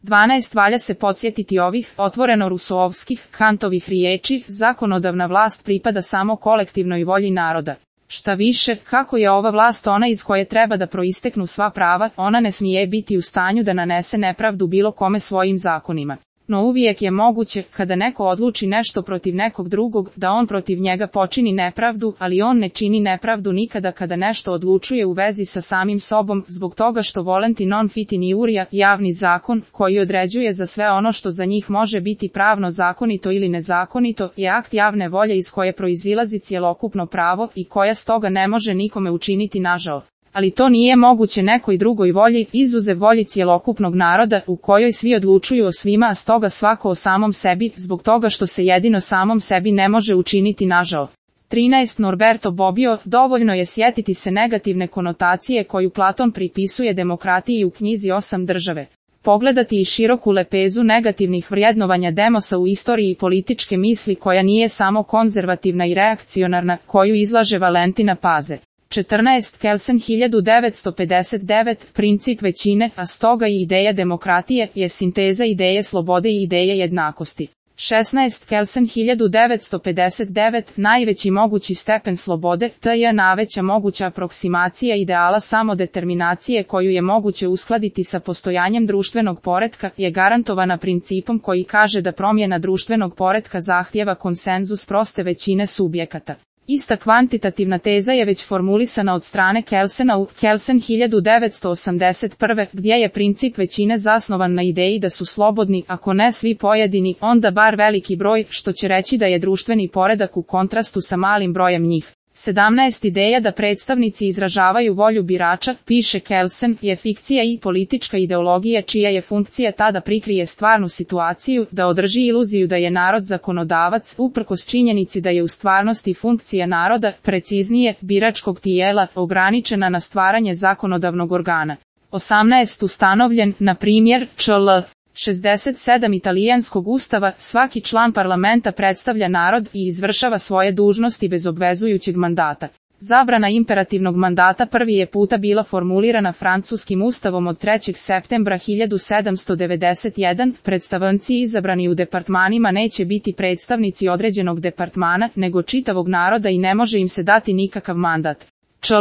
12. Valja se podsjetiti ovih, otvoreno rusoovskih, Kantovih riječi, zakonodavna vlast pripada samo kolektivnoj volji naroda. Šta više, kako je ova vlast ona iz koje treba da proisteknu sva prava, ona ne smije biti u stanju da nanese nepravdu bilo kome svojim zakonima. No uvijek je moguće, kada neko odluči nešto protiv nekog drugog, da on protiv njega počini nepravdu, ali on ne čini nepravdu nikada kada nešto odlučuje u vezi sa samim sobom, zbog toga što volenti non fit in iuria, javni zakon, koji određuje za sve ono što za njih može biti pravno zakonito ili nezakonito, je akt javne volje iz koje proizilazi cjelokupno pravo i koja stoga ne može nikome učiniti nažao. Ali to nije moguće nekoj drugoj volji, izuzev volji cjelokupnog naroda, u kojoj svi odlučuju o svima, a stoga svako o samom sebi, zbog toga što se jedino samom sebi ne može učiniti nažao. 13. Norberto Bobbio, dovoljno je sjetiti se negativne konotacije koju Platon pripisuje demokratiji u knjizi 8 države. Pogledati i široku lepezu negativnih vrijednovanja demosa u istoriji političke misli koja nije samo konzervativna i reakcionarna, koju izlaže Valentina Paze. 14. Kelsen 1959, princip većine, a stoga i ideja demokratije, je sinteza ideje slobode i ideje jednakosti. 16. Kelsen 1959, najveći mogući stepen slobode, je najveća moguća aproksimacija ideala samodeterminacije koju je moguće uskladiti sa postojanjem društvenog poretka, je garantovana principom koji kaže da promjena društvenog poretka zahtijeva konsenzus proste većine subjekata. Ista kvantitativna teza je već formulisana od strane Kelsena u Kelsen 1981, gdje je princip većine zasnovan na ideji da su slobodni, ako ne svi pojedini, onda bar veliki broj, što će reći da je društveni poredak u kontrastu sa malim brojem njih. 17. Ideja da predstavnici izražavaju volju birača, piše Kelsen, je fikcija i politička ideologija čija je funkcija ta da prikrije stvarnu situaciju, da održi iluziju da je narod zakonodavac, uprkos činjenici da je u stvarnosti funkcija naroda, preciznije, biračkog tijela, ograničena na stvaranje zakonodavnog organa. 18. Ustanovljen, na primjer, čl. 67 italijanskog ustava, svaki član parlamenta predstavlja narod i izvršava svoje dužnosti bez obvezujućeg mandata. Zabrana imperativnog mandata prvi je puta bila formulirana francuskim ustavom od 3. septembra 1791. Predstavnici izabrani u departmanima neće biti predstavnici određenog departmana, nego čitavog naroda i ne može im se dati nikakav mandat. Čl.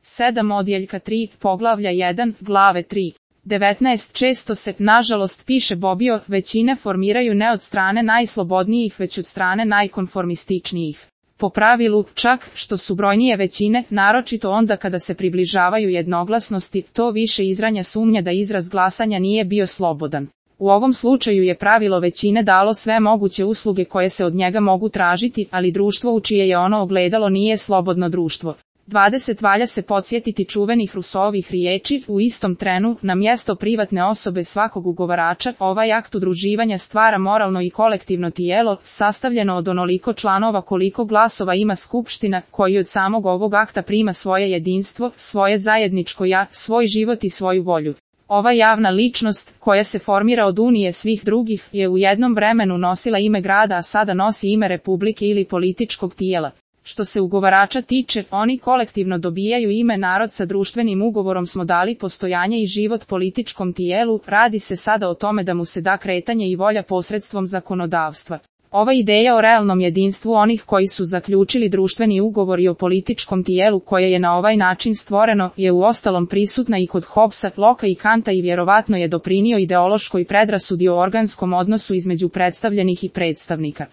7 odjeljka 3, poglavlja 1, glave 3. 19. Često se, nažalost, piše Bobbio, većine formiraju ne od strane najslobodnijih već od strane najkonformističnijih. Po pravilu, čak, što su brojnije većine, naročito onda kada se približavaju jednoglasnosti, to više izranja sumnja da izraz glasanja nije bio slobodan. U ovom slučaju je pravilo većine dalo sve moguće usluge koje se od njega mogu tražiti, ali društvo u čije je ono ogledalo nije slobodno društvo. 20. Valja se podsjetiti čuvenih Rousseauovih riječi, u istom trenu, na mjesto privatne osobe svakog ugovarača, ovaj akt udruživanja stvara moralno i kolektivno tijelo, sastavljeno od onoliko članova koliko glasova ima skupština, koji od samog ovog akta prima svoje jedinstvo, svoje zajedničko ja, svoj život i svoju volju. Ova javna ličnost, koja se formira od unije svih drugih, je u jednom vremenu nosila ime grada, a sada nosi ime republike ili političkog tijela. Što se ugovarača tiče, oni kolektivno dobijaju ime narod, sa društvenim ugovorom smo dali postojanje i život političkom tijelu, radi se sada o tome da mu se da kretanje i volja posredstvom zakonodavstva. Ova ideja o realnom jedinstvu onih koji su zaključili društveni ugovor i o političkom tijelu koje je na ovaj način stvoreno, je uostalom prisutna i kod Hobbesa, Locka i Kanta i vjerovatno je doprinio ideološkoj predrasudi o organskom odnosu između predstavljenih i predstavnika.